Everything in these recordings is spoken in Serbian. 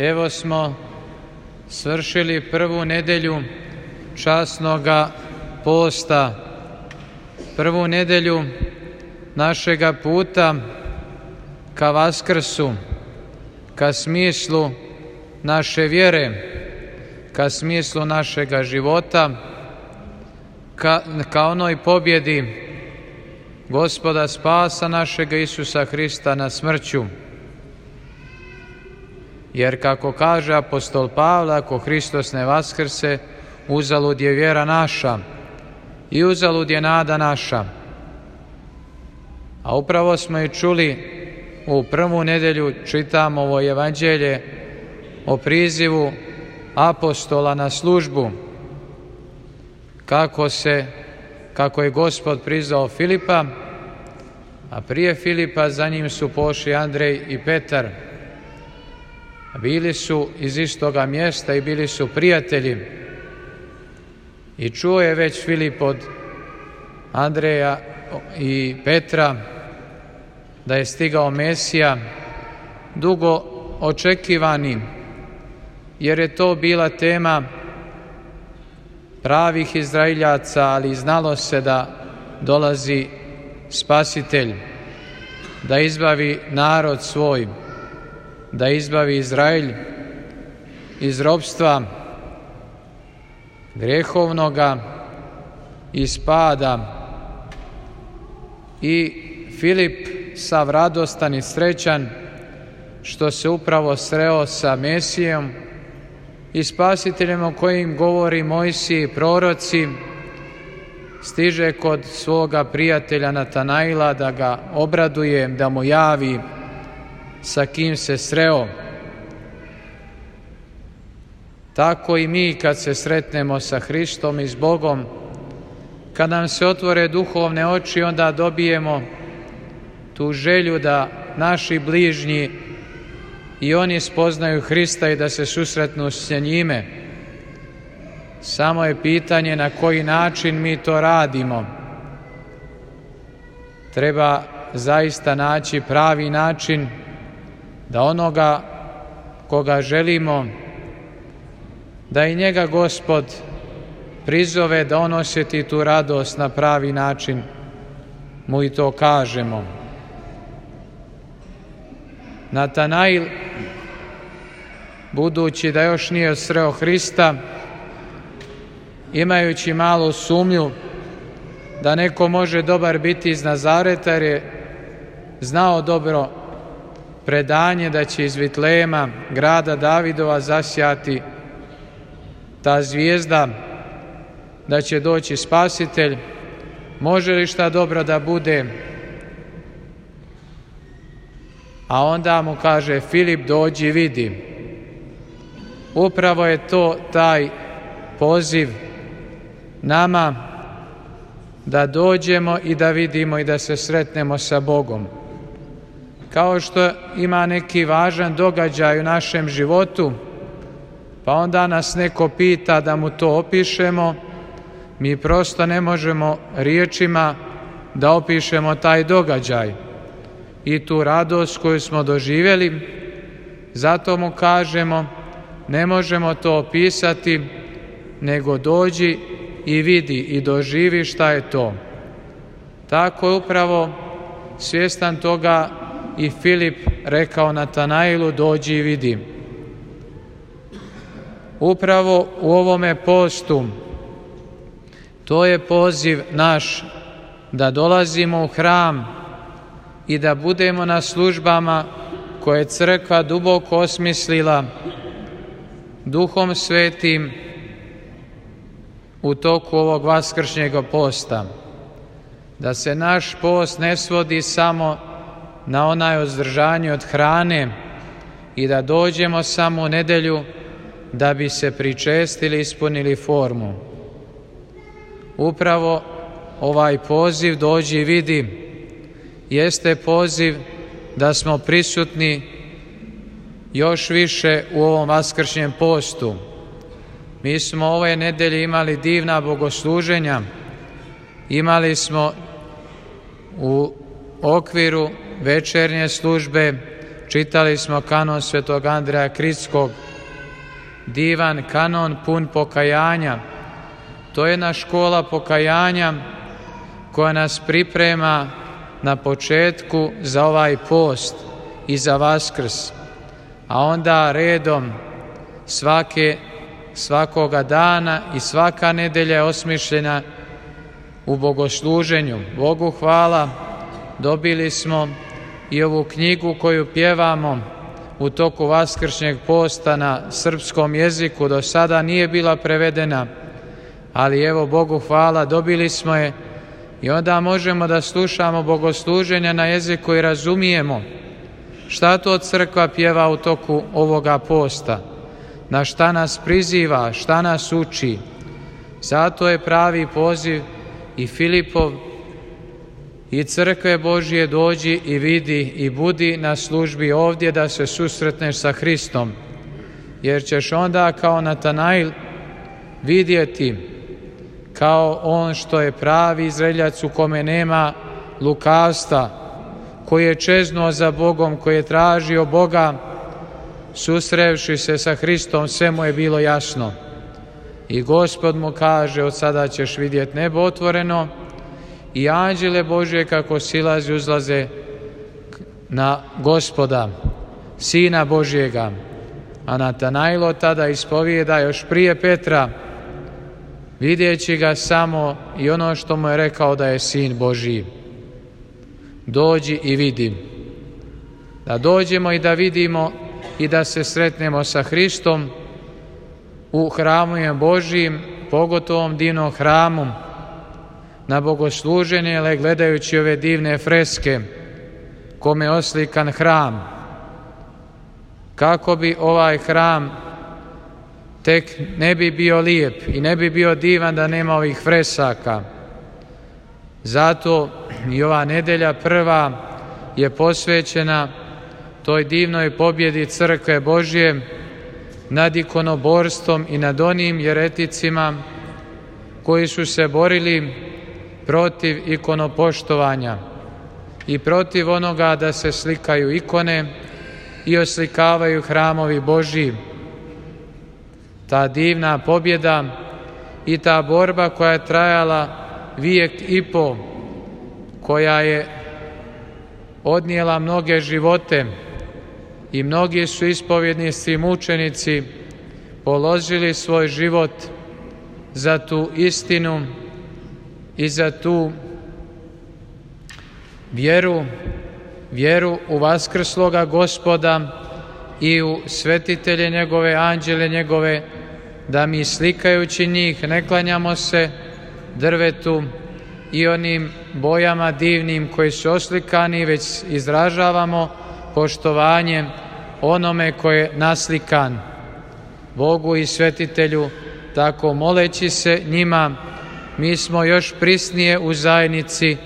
Evo smo svršili prvu nedelju časnoga posta, prvu nedelju našega puta ka Vaskrsu, ka smislu naše vjere, ka smislu našega života, ka onoj pobjedi Gospoda spasa našega Isusa Hrista nad smrću. Jer kako kaže apostol Pavle, ako Hristos ne vaskrse, uzalud je vjera naša i uzalud je nada naša. A upravo smo i čuli u prvu nedelju, čitamo ovo evanđelje o prizivu apostola na službu, kako je Gospod prizvao Filipa, a prije Filipa za njim su pošli Andrej i Petar. Bili su iz istoga mjesta i bili su prijatelji. I čuo je već Filip od Andreja i Petra da je stigao Mesija, dugo očekivani, jer je to bila tema pravih Izraeljaca, ali znalo se da dolazi Spasitelj, da izbavi narod svoj, da izbavi Izrael iz ropstva grehovnoga, iz pada. I Filip, sav radostan i srećan što se upravo sreo sa Mesijom i Spasiteljem o kojim govori Mojsije i proroci, stiže kod svoga prijatelja Natanaila da ga obraduje, da mu javi sa kim se sreo. Tako i mi kad se sretnemo sa Hristom i s Bogom, kad nam se otvore duhovne oči, onda dobijemo tu želju da naši bližnji i oni spoznaju Hrista i da se susretnu s njime. Samo je pitanje na koji način mi to radimo. Treba zaista naći pravi način da onoga koga želimo, da i njega Gospod prizove, da on osjeti tu radost na pravi način, mu i to kažemo. Natanail, budući da još nije sreo Hrista, imajući malu sumnju da neko može dobar biti iz Nazareta, jer je znao dobro predanje da će iz Vitlejema, grada Davidova, zasjati ta zvijezda, da će doći Spasitelj. Može li šta dobro da bude? A onda mu kaže Filip, dođi i vidi. Upravo je to taj poziv nama da dođemo i da vidimo i da se sretnemo sa Bogom. Kao što ima neki važan događaj u našem životu, pa onda nas neko pita da mu to opišemo, mi prosto ne možemo riječima da opišemo taj događaj i tu radost koju smo doživjeli. Zato mu kažemo, ne možemo to opisati, nego dođi i vidi i doživi šta je to. Tako je upravo svjestan toga i Filip rekao Natanailu, dođi i vidi. Upravo u ovome postu, to je poziv naš da dolazimo u hram i da budemo na službama koje je crkva duboko osmislila Duhom Svetim u toku ovog vaskršnjeg posta. Da se naš post ne svodi samo na onaj uzdržanje od hrane i da dođemo samo u nedelju da bi se pričestili, ispunili formu. Upravo ovaj poziv dođi i vidi jeste poziv da smo prisutni još više u ovom vaskršnjem postu. Mi smo ove nedelje imali divna bogosluženja, imali smo u okviru večernje službe čitali smo kanon svetog Andreja Kritskog, divan kanon pun pokajanja. To je jedna škola pokajanja koja nas priprema na početku za ovaj post i za Vaskrs, a onda redom svakoga dana i svaka nedelja je osmišljena u bogosluženju. Bogu hvala, dobili smo i ovu knjigu koju pjevamo u toku vaskršnjeg posta na srpskom jeziku. Do sada nije bila prevedena, ali evo Bogu hvala, dobili smo je i onda možemo da slušamo bogosluženja na jeziku i razumijemo šta to crkva pjeva u toku ovoga posta, na šta nas priziva, šta nas uči. Zato je pravi poziv i Filipov i crkve Božje: dođi i vidi i budi na službi ovdje da se susretneš sa Hristom, jer ćeš onda kao Natanail vidjeti kao on što je pravi zreljac u kome nema lukavstva, koji je čeznuo za Bogom, koji je tražio Boga. Susrevši se sa Hristom, sve mu je bilo jasno. I Gospod mu kaže: od sada ćeš vidjeti nebo otvoreno i anđele Božje kako silaze i uzlaze na Gospoda, Sina Božjega. A Natanailo tada ispovijeda još prije Petra, vidjeći ga samo i ono što mu je rekao da je Sin Božji. Dođi i vidi. Da dođemo i da vidimo i da se sretnemo sa Hristom u hramu Božjim, pogotovo divnom hramu, na bogosluženje, ale gledajući ove divne freske kome je oslikan hram. Kako bi ovaj hram tek ne bi bio lijep i ne bi bio divan da nema ovih fresaka. Zato i ova nedelja prva je posvećena toj divnoj pobjedi crkve Božje nad ikonoborstvom i nad onim jereticima koji su se borili protiv ikonopoštovanja i protiv onoga da se slikaju ikone i oslikavaju hramovi Božji. Ta divna pobjeda i ta borba koja je trajala vijek i po, koja je odnijela mnoge živote i mnogi su ispovjednici i mučenici položili svoj život za tu istinu i za tu vjeru u vaskrsloga Gospoda i u svetitelje njegove, anđele njegove, da mi slikajući njih ne klanjamo se drvetu i onim bojama divnim koji su oslikani, već izražavamo poštovanje onome koje je naslikan, Bogu i svetitelju. Tako moleći se njima, mi smo još prisnije u zajednici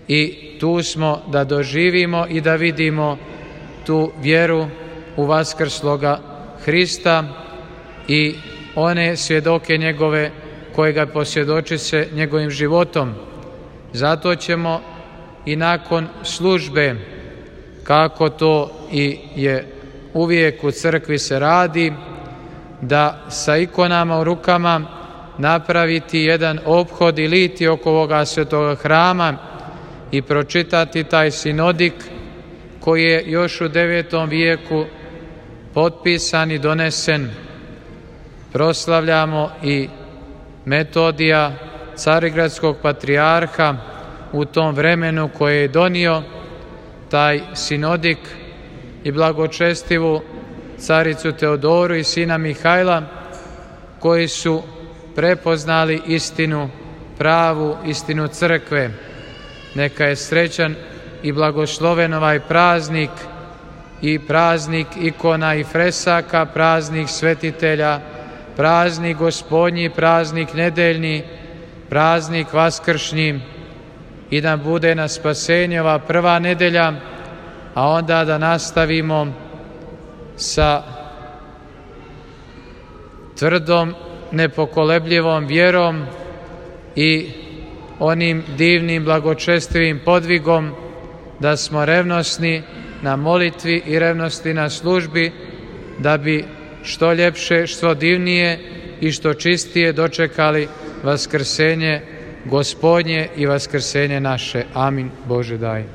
i tu smo da doživimo i da vidimo tu vjeru u vaskrsloga Hrista i one svjedoke njegove koje ga posvjedoči se njegovim životom. Zato ćemo i nakon službe, kako to i je uvijek u crkvi se radi, da sa ikonama u rukama napraviti jedan ophod i liti oko ovoga svetoga hrama i pročitati taj sinodik koji je još u 9. vijeku potpisan i donesen. Proslavljamo i Metodija, carigradskog patrijarha, u tom vremenu koje je donio taj sinodik, i blagočestivu caricu Teodoru i sina Mihajla, koji su prepoznali istinu, pravu istinu crkve. Neka je srećan i blagosloven ovaj praznik, i praznik ikona i fresaka, praznik svetitelja, praznik Gospodnji, praznik nedeljni, praznik vaskršnji, i da bude na spasenje ova prva nedelja, a onda da nastavimo sa tvrdom, nepokolebljivom vjerom i onim divnim blagočestivim podvigom da smo revnosni na molitvi i revnosti na službi, da bi što ljepše, što divnije i što čistije dočekali vaskrsenje Gospodnje i vaskrsenje naše. Amin. Bože daj.